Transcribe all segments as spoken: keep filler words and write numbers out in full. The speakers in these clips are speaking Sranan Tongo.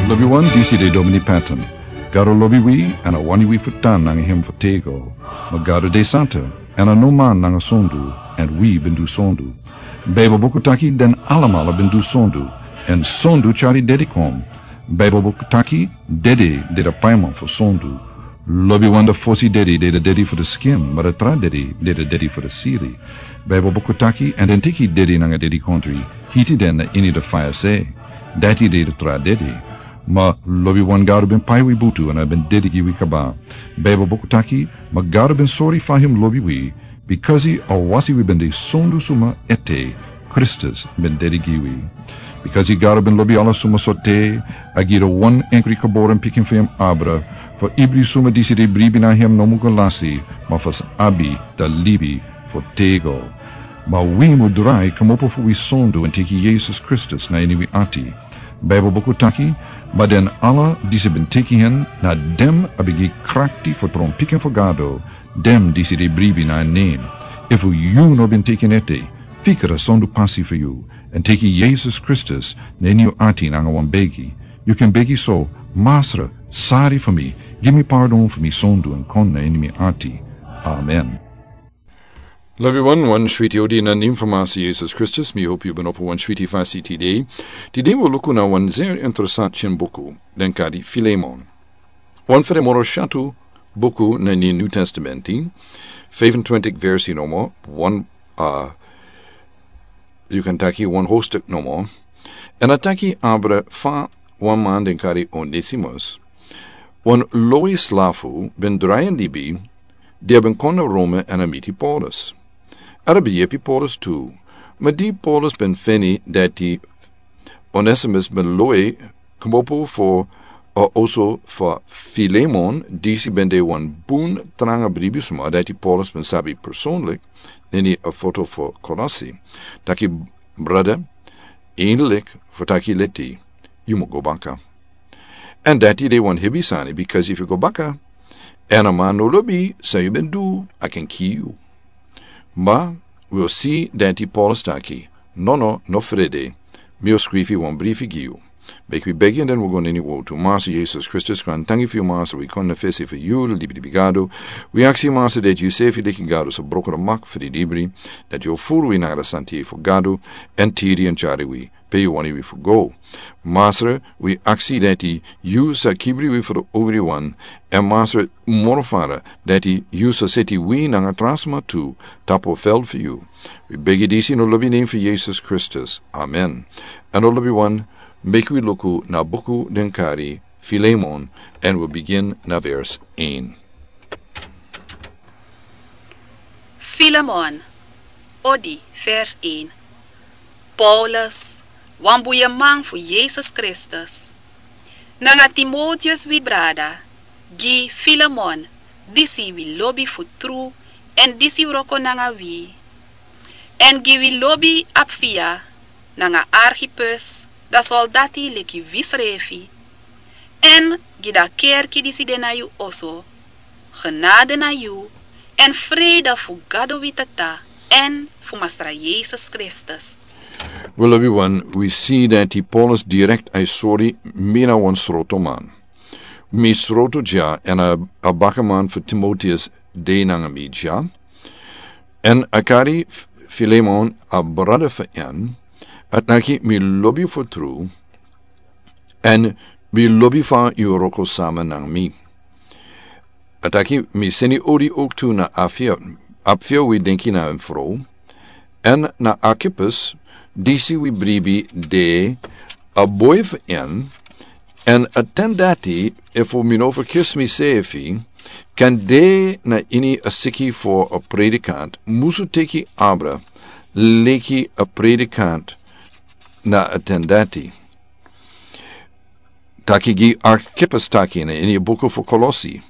Lobiwan, disi de Domini Patton. Gado lobi wi, èn a wani wi fu tan nanga hem fu tego. Ma Gado de santa, èn a no man nanga sondu, èn wi ben du sondu. Baibel buku taki den alamala ben du sondu, èn sondu tyari dedi kon. Baibel buku taki dedi de a paiman fu sondu. Lobiwan, a fosi dedi de a dedi fu a skin, ma a tra dedi de a dedi fu a siri. Baibel buku taki, èn den teki dedi nanga dedikontri, hiti den na ini a faya se. Dati de a tra dedi. Ma lobiwan, Gado ben pai wi butu èn a ben dedi gi wi kaba. Baibel buku taki, ma Gado ben sori fa hem lobi wi, bikasi a wasi wi ben de sondu suma ete, Kristus ben dedi gi wi. Bikasi Gado ben lobi ala suma sorte, a gi a wan enkri geboren pikin fu hem abra, fu ibri suma disi de bribi na hem no mu go lasi, ma fu sa abi a libi fu tego. Ma wi mu drai kmopo fu wi sondu èn teki Yesus Kristus na ini wi ati. Baibel buku taki, ma den ala disi ben teki hen, na den a ben gi krakti fu tron pikin fu Gado, den disi de bribi na en nen. Efu yu no ben teki en ete, fika a sondu pasi fu yu, èn teki Yesus Kristus na ini yu ati nanga wan begi. Yu kan begi so: Masra, sori fu mi, gi mi pardon fu mi sondu èn kon na ini mi ati. Amen. Lobiwan, wan switi odi na nen fu Masra Yesus Kristus, mi hopu yu ben opo wan switi fasi tide. Tide wi o luku na wan zeer interesanti buku, den kari Filemon. Wan fu den moro syatu buku na ini New Testamenti, fifentwintig versi nomo, wan, a, yu kan taki wan hoofdstuk nomo. Èn a taki abra fa wan man den kari Onesimus, wan lowi slafu, ben drai en libi, di a ben kon na Rome èn a miti Paulus. Èn a ben yepi Paulus tu, ma di Paulus ben feni dati Onesimus ben lowi kmopo fu a oso fu Filemon, disi ben de wan bun tranga bribisma dati Paulus ben sabi personlik, na ini a foto fu Kolosi. Taki: Brada, eindelijk, fu taki leti, yu mu go baka. Èn dati de wan hebi sani, bikasi efu yu go baka, èn a man no lobi san yu ben du, a kan kiri yu. Ma wi o si dati Paulus taki: Nono, no frede, mi o skrifi wan brifi gi yu. Meki wi begi èn den wi o go na ini wowtu. Masra Yesus Kristus, grantangi fu yu, Masra, wi kon na fesi fu yu, libri di Gado. Wi aksi, Masra, dati yu sefi leki Gado sa broko a mak fu di libri, dati yu o furu wi nanga a santei fu Gado, èn tiri èn tyari wi pe yu wani wi fu go. Masra, wi aksi dati yu sa kibri wi fu a ogriwan, èn Masra, moro fara, dati yu sa seti wi nanga tra sma tu tapu a fel fu yu. Wi begi disi na a lobi nen fu Yesus Kristus. Amen. Èn lobiwan, meki wi luku na buku den kari Filemon, èn wi o bigin na vers een. Filemon, odi, vers een. Paulus, wan buyeman fu Yesus Kristus, nanga Timoteus, wi brada, gi Filemon, disi wi lobi fu tru èn disi wroko nanga wi, èn gi wi lobi Apfia nanga Archippus, a soldati leki wisrefi, èn gi a kerki disi de na yu oso. Genade na yu, èn vrede fu Gado wi Tata èn fu Masra Yesus Kristus. Wel, lobiwan, wi si dati Paulus direkt a e sori: Mi na wan sroto man. Mi sroto dya, èn a, a bakaman fu Timoteus de nanga mi dya. Èn a kari F-, Filemon, a brada fu en, a taki: Mi lobi yu fu tru, èn mi lobi fa yu wroko sama nanga mi. A taki: Mi seni odi ook tu na Apfia, Apfia, wi denki na en frow, èn na Archippus, disi wi bribi de, a boi fu en, èn a ten dati, efu mi no ferkisi misefi, kan de na ini a siki fu a predikant, musu teki abra leki a predikant na a ten dati. Taki gi Archippus taki na ini a buku fu Kolosi: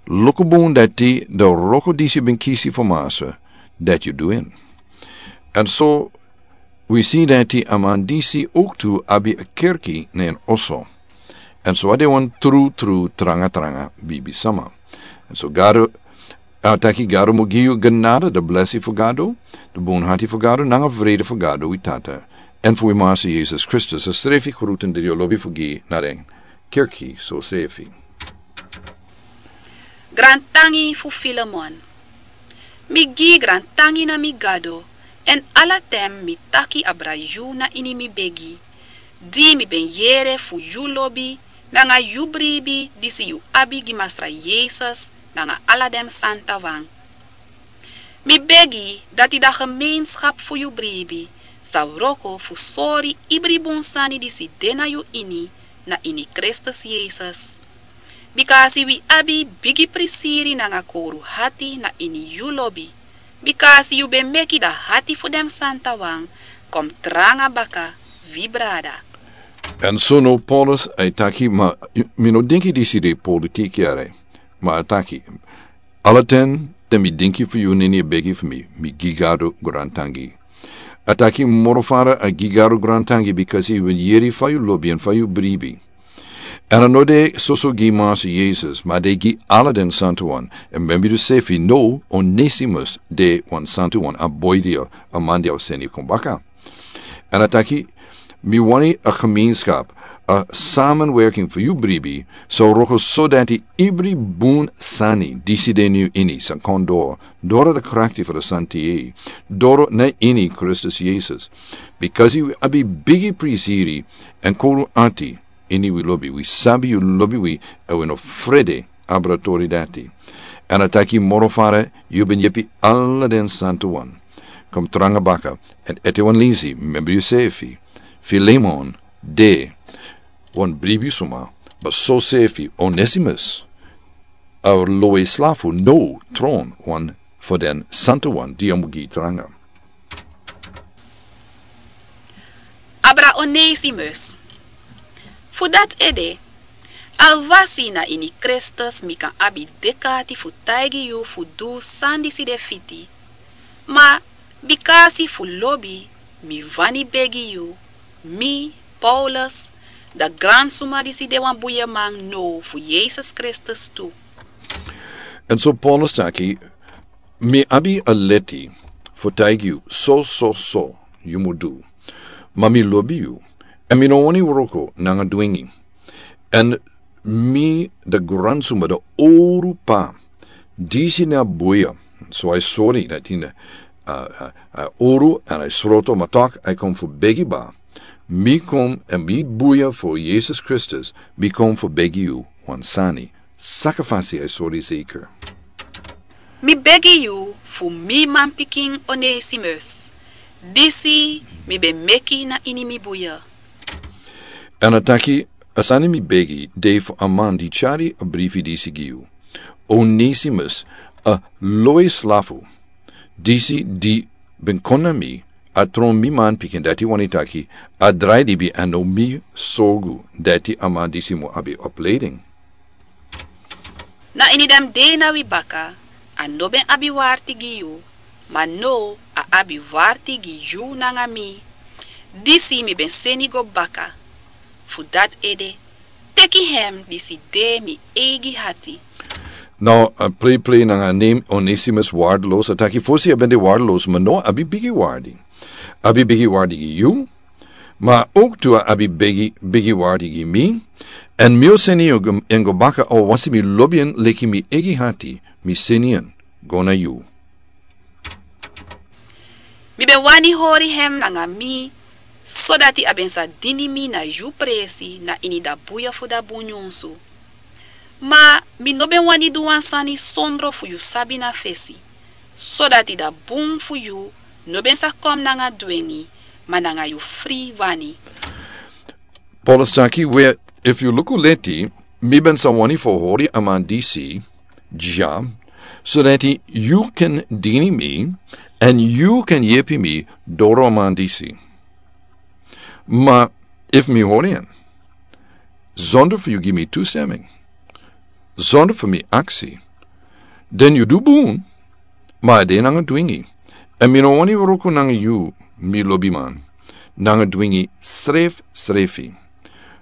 Luku bun dati a wroko disi ben kisi fu Masra, dati yu du en. Èn so wi si dati a man disi ook tu abi a kerki na en oso. Èn so a de wan tru, tru, tranga, tranga bibisma. Èn so Gado, a taki: Gado mu gi yu genade, a blesi fu Gado, a bunhati fu Gado, nanga vrede fu Gado wi Tata, èn fu wi Masi Yesus Kristus a srefi grutu dri o lobi fu gi na den kerki sosefi. Grantangi fu Filemon. Mi gi grantangi na mi Gado, èn ala ten mi taki abra yu na ini mi begi, di mi ben yere fu yu lobi nanga yu bribi disi yu abi gi Masra Yesus nanga ala den santawan. Mi begi dati da gemeenskap fu yu bribi sa wroko fu sori ibri bun sani disi de na yu ini, na ini Kristus Yesus. Bikasi wi abi bigi prisiri nanga kowru hati na ini yu lobi, bikasi yu ben meki da hati fu den santawan kon tranga baka wi brada. Èn so now Paulus a e taki, ma mi no denki disi de politiki yere, ma a taki, ala ten te mi denki fu yu na ini a begi fu mi, mi gi Gado grantangi. A taki moro fara a gi Gado grantangi bikasi yu ben yere fa yu lobi èn fa yu bribi. Èn a no de soso gi Masi Yesus, ma a de gi ala den santawan. Èn membi yu sefi now Onesimus de wan santawan, a boi di a, a man di a o seni kon baka. Èn a taki, mi wani a gemeenskap, a samenwerking fu yu bribi sa wroko sodati ibri bun sani disi de na yu ini sa kon doro, doro da krakti fu da santi, doro na ini Kristus Yesus. Bikasi wi abi bigi prisiri èn kowru ati ini wi lobi, wi sabi yu lobi wi, èn wi no frede abra tori dati. Èn a taki moro fara yu ben yepi ala den santawan kon tranga baka. Èn ete wan lisi, membi yu sefi, Filemon de wan bribi suma, ma sosefi Onesimus a lowe slafu now tron wan fu den santawan di a mu gi tranga. Abra Onesimus. Fu dati ede, alwasi na ini Kristus mi kan abi dek'ati fu taigi yu fu du san disi de fiti. Ma bikasi fu lobi mi wani begi yu, mi, Paulus, da gransuma disi de wan buyaman now fu Yesus Kristus tu. Èn so Paulus taki, mi abi a leti fu taigi yu so, so, so yu mu du. Ma mi lobi yu, èn mi no wani wroko nanga dwingi. Èn mi da gransuma da owru pa, disi na buya, so a e sori na tin, a, a, a owru èn a e sroto, ma tok a e kon fu begi ba. Mi kon èn mi buya fu Yesus Kristus, mi kon fu begi yu wan sani. Sakafasi a e sori zeker. Mi begi yu fu mi manpikin Onesimus, disi mi ben meki na ini mi buya. Èn a taki, a sani mi begi de fu a man di tyari a brifi disi gi yu. Onesimus, a lowe slafu, disi di ben kon na mi, a tron mi manpikin, dati wani taki, a drai libi èn now mi sorgu dati a man disi mu abi opleiding. Na ini den dei na wi baka, a no ben abi warti gi yu, ma now a abi warti gi yu nanga mi. Disi mi ben seni go baka. Fu dati ede, teki hem disi de mi eigi hati. Now, a prei prei nanga a nen Onesimus, waardeloos, a taki fosi a ben de waardeloos, ma now a abi bigi waardi. A abi bigi waardi gi yu, ma ook tu a abi bigi, bigi waardi gi mi. Èn mi o seni en go, en go baka, a o wasi mi lobi en leki mi eigi hati, mi seni en go na yu. Mi ben wani hori hem nanga mi, sodati a ben sa dini mi na yu presi na ini da buya fu da bun nyunsu. Ma mi no ben wani du wan sani sondro fu yu sabi na fesi, sodati da bun fu yu no ben sa kon nanga dwengi, ma nanga yu fri wani. Paulus taki, we, efu yu luku leti, mi ben sa wani fu hori a man disi dya, sodati yu kan dini mi, èn yu kan yepi mi doro a man disi. Ma efu mi hori en, zonder fu yu gi mi toestemming, zonder fu mi aksi, dan yu du bun, ma a de nanga dwingi. Èn mi no wani wroko nanga yu, mi lobiman, nanga dwingi srefsrefi.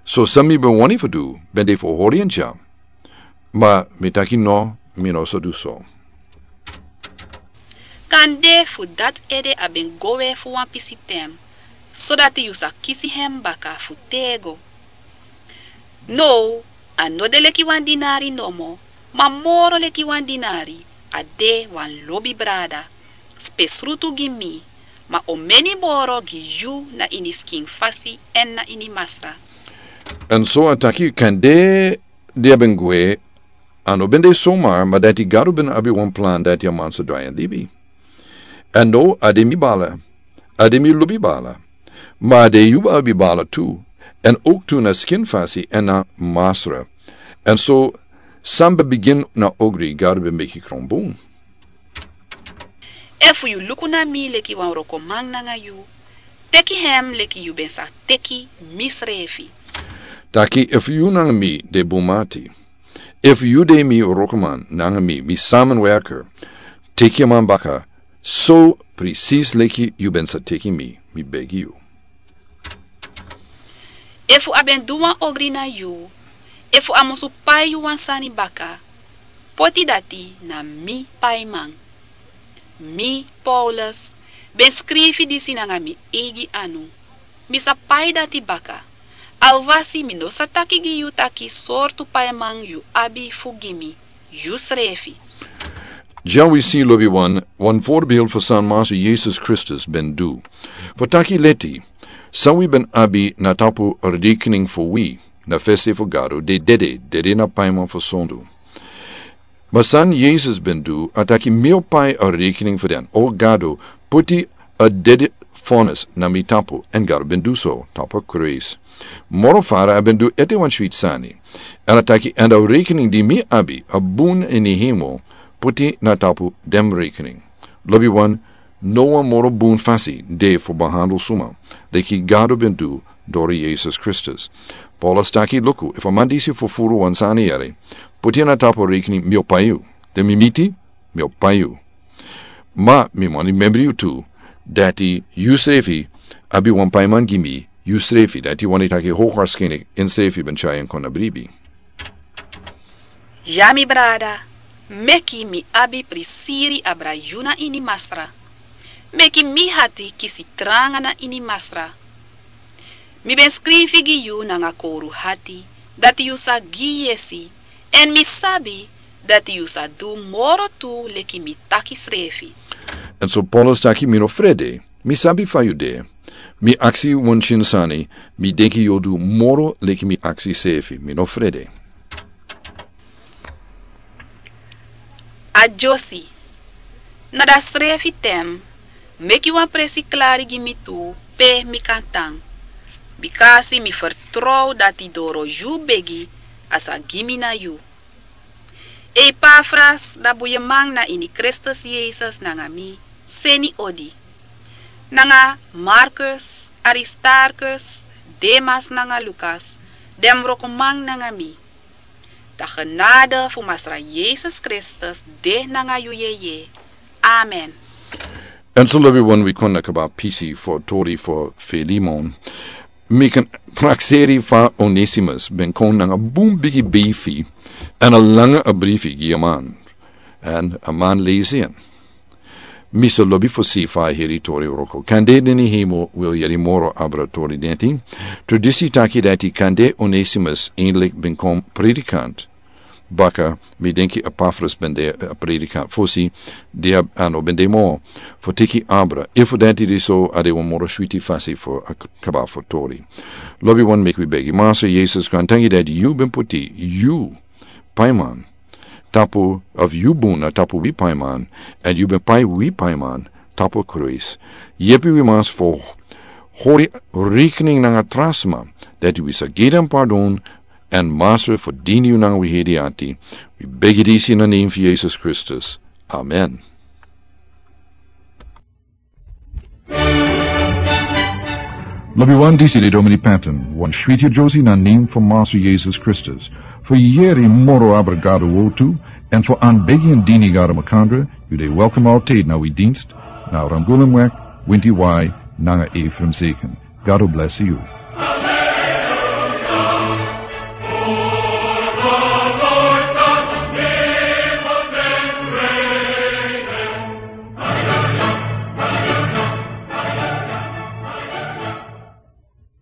So san mi ben wani fu du ben de fu hori en dya. Ma mi taki no, mi no sa du so. Kande fu dati ede a ben go we fu wan pisi ten, sodati yu sa kisi hem baka fu tego. Now a no de leki wan dinari nomo, ma moro leki wan dinari, a de wan lobi brada, spesrutu gi mi, ma omeni moro gi yu na ini skin fasi èn na ini Masra. Èn so a taki kande di a ben gwe, a no ben de somar, ma dati Gado ben abi wan plan dati a man sa drai en libi. Èn now a de mi bala, a de mi lobi bala, ma a de yu abi bala tu, èn ook tu na skin fasi èn na Masra. Èn so san ben bigin na ogri, Gado ben meki kron bun. Efu yu luku na mi leki wan wrokoman nanga yu, teki hem leki yu ben sa teki misrefi. Taki efu yu nanga mi de bun mati, efu yu de mi wrokoman nanga mi, mi samenwerker, teki a man baka so precies leki yu ben sa teki mi, mi begi yu. Efu a ben du wan ogri na yu, efu a musu pai yu wan sani baka, poti dati na mi paiman. Mi, Paulus, ben skrifi disi nanga mi eigi anu. Mi sa pai dati baka. Alwasi mi no sa taki gi yu taki sortu paiman yu abi fu gi mi, yusrefi. Dya wi si, lobiwan, wan voorbeeld fu san Master Yesus Kristus ben du. Fu taki leti, san wi ben abi na tapu rekening fu wi, na fesi fu Gado, de dede, dede na paiman fu sondu. Ma san Yesus ben du, a taki mi o pai a rekening fu den. O Gado, puti a dede vonnis na mi tapu, èn Gado ben du so, tapu kruis. Moro fara a ben du ete wan switi sani. Èn a taki èn a rekening di mi abi, a bun ini hemel, puti na tapu den rekening. Lobiwan, no wan moro bun fasi de fu behandel suma, leki Gado ben du dori Yesus Kristus. Paulus taki luku, efu a man disi fufuru wan sani yere, puti na tapu rekening mi o pai yu. Te mi miti, mi o pai yu. Ma mi wani membri yu tu, dati yusrefi abi wan paiman gi mi, yusrefi, dati wani taki hoogwaarschijnlijk ensrefi ben tyari en kon na bribi. Ya mi brada, meki mi abi prisiri abra yu na ini Masra. Meki mi hati kisi tranga na ini Masra. Mi ben skrifi gi yu nanga kowru hati, dati yu sa gi yesi, èn mi sabi dati yu sa du moro tu leki mi taki srefi. Èn so Paulus taki mi no frede, mi sabi fa yu de. Mi aksi wan tyin sani, mi denki yu o du moro leki mi aksi srefi, mi no frede. Adyosi. Na da srefi ten, meki wan presi klari gi mi tu pe mi kan tan. Bikasi mi fertrow dati doro yu begi a sa gi mi na yu. Epafras, da buyeman na ini Kristus Yesus nanga mi, seni odi. Nanga Markus, Aristarkus, Demas nanga Lukas, den wrokoman nanga mi. Da genade fu Masra Yesus Kristus de nanga yu yeye. Amen. Èn so lobiwan, wi kon na kaba pisi fu tori fu Filemon. Mi kan prakseri fa Onesimus ben kon nanga bun bigi brifi, èn a langa a brifi gi a man. Èn a man lesi en. Mi sa lobi fu si fa a heri tori wroko. Kande den ini hemel wil yeri moro abra tori denti. Tradisi taki dati kande Onesimus eindelijk ben kon predikant. Baka, mi denki Epafras ben de a predikant fosi, di a no ben de moro. Fu teki abra. Efu dati de so, a de wan moro switi fasi fu a k-, kaba fu tori. Lobiwan, meki wi begi. Masra Yesus, grantangi dati yu ben puti yu paiman tapu, of yu bun na tapu wi paiman, èn yu ben pai wi paiman tapu kruis. Yepi wi mas fu hori rekening nanga tra sma, dati wi sa gi den pardon, èn Masra fu dini yu nanga wi heri ati. Wi begi disi na nen fu Yesus Kristus. Amen. Lobiwan, disi de Domini Patton, wan switi yusrefi na nen fu Masra Yesus Kristus. Fu yeri moro abra Gado wowtu, èn fu anbegi èn dini Gado makandra, yu de welkom altijd na wi dienst, na Rangulan Wek, Winti Wai, nanga Ephraim Zeken. Gado blesi yu.